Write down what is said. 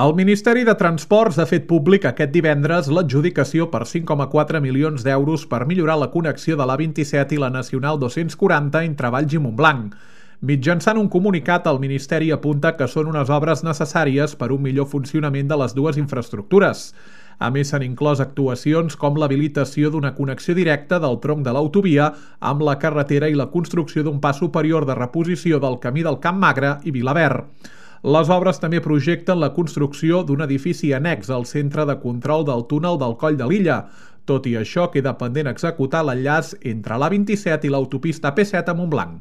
El Ministeri de Transports ha fet públic aquest divendres l'adjudicació per 5,4 milions d'euros per millorar la connexió de l'A27 i la Nacional 240 entre Valls i Montblanc. Mitjançant un comunicat, el Ministeri apunta que són unes obres necessàries per un millor funcionament de les dues infraestructures. A més, s'han inclòs actuacions com l'habilitació d'una connexió directa del tronc de l'autovia amb la carretera i la construcció d'un pas superior de reposició del camí del Camp Magre i Vilaverd. Les obres també projecten la construcció d'un edifici annex al centre de control del túnel del Coll de Lilla. Tot i això, queda pendent executar l'enllaç entre l'A27 i l'autopista P7 a Montblanc.